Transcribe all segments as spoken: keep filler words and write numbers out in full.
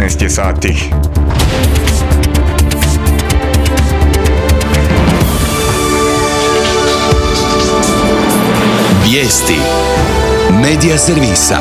petnaest je sati. Vijesti Medija servisa.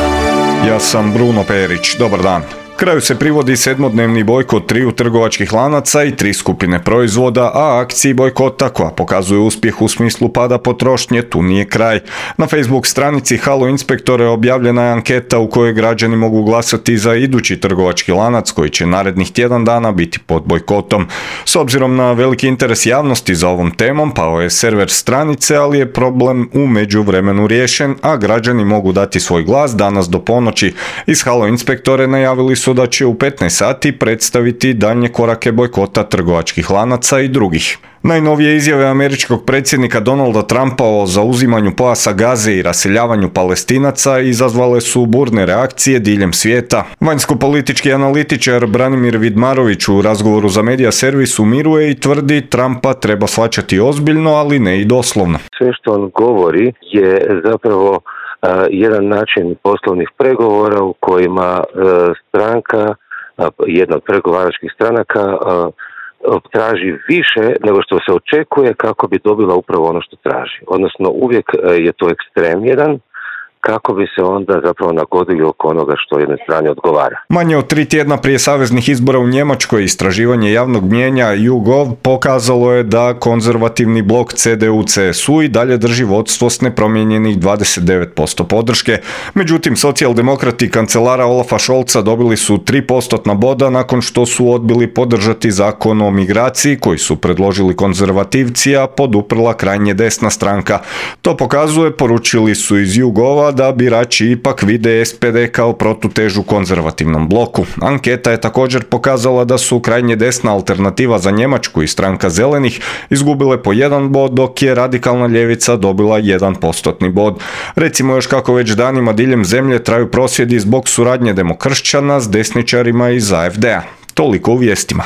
Ja sam Bruno Perić, dobar dan. Kraju se privodi sedmodnevni bojkot triju trgovačkih lanaca i tri skupine proizvoda, a akciji bojkota, koja pokazuje uspjeh u smislu pada potrošnje, tu nije kraj. Na Facebook stranici Halo inspektore objavljena je anketa u kojoj građani mogu glasati za idući trgovački lanac koji će narednih tjedan dana biti pod bojkotom. S obzirom na veliki interes javnosti za ovom temom, pao je server stranice, ali je problem u međuvremenu riješen, a građani mogu dati svoj glas danas do ponoći. Iz Halo inspektore najavili su da će u petnaest sati predstaviti daljnje korake bojkota trgovačkih lanaca i drugih. Najnovije izjave američkog predsjednika Donalda Trumpa o zauzimanju pojasa Gaze i raseljavanju Palestinaca izazvale su burne reakcije diljem svijeta. Vanjsko-politički analitičar Branimir Vidmarović u razgovoru za Medija servis umiruje i tvrdi Trumpa treba shvaćati ozbiljno, ali ne i doslovno. Sve što on govori je zapravo Uh, jedan način poslovnih pregovora u kojima uh, stranka, uh, jedna od pregovaračkih stranaka uh, traži više nego što se očekuje kako bi dobila upravo ono što traži. Odnosno uvijek uh, je to ekstrem jedan, kako bi se onda zapravo nagodili oko onoga što jednoj strani odgovara. Manje od tri tjedna prije saveznih izbora u Njemačkoj istraživanje javnog mnijenja YouGov pokazalo je da konzervativni blok C D U C S U i dalje drži vodstvo s nepromijenjenih dvadeset devet posto podrške. Međutim, socijaldemokrati kancelara Olafa Scholza dobili su tri postotna boda nakon što su odbili podržati zakon o migraciji koji su predložili konzervativci, a poduprla krajnje desna stranka. To pokazuje, poručili su iz YouGova, da birači ipak vide S P D kao protutežu konzervativnom bloku. Anketa je također pokazala da su krajnje desna Alternativa za Njemačku i stranka Zelenih izgubile po jedan bod, dok je radikalna ljevica dobila jedan postotni bod. Recimo još kako već danima diljem zemlje traju prosvjedi zbog suradnje demokršćana s desničarima iz A F D-a. Toliko u vijestima.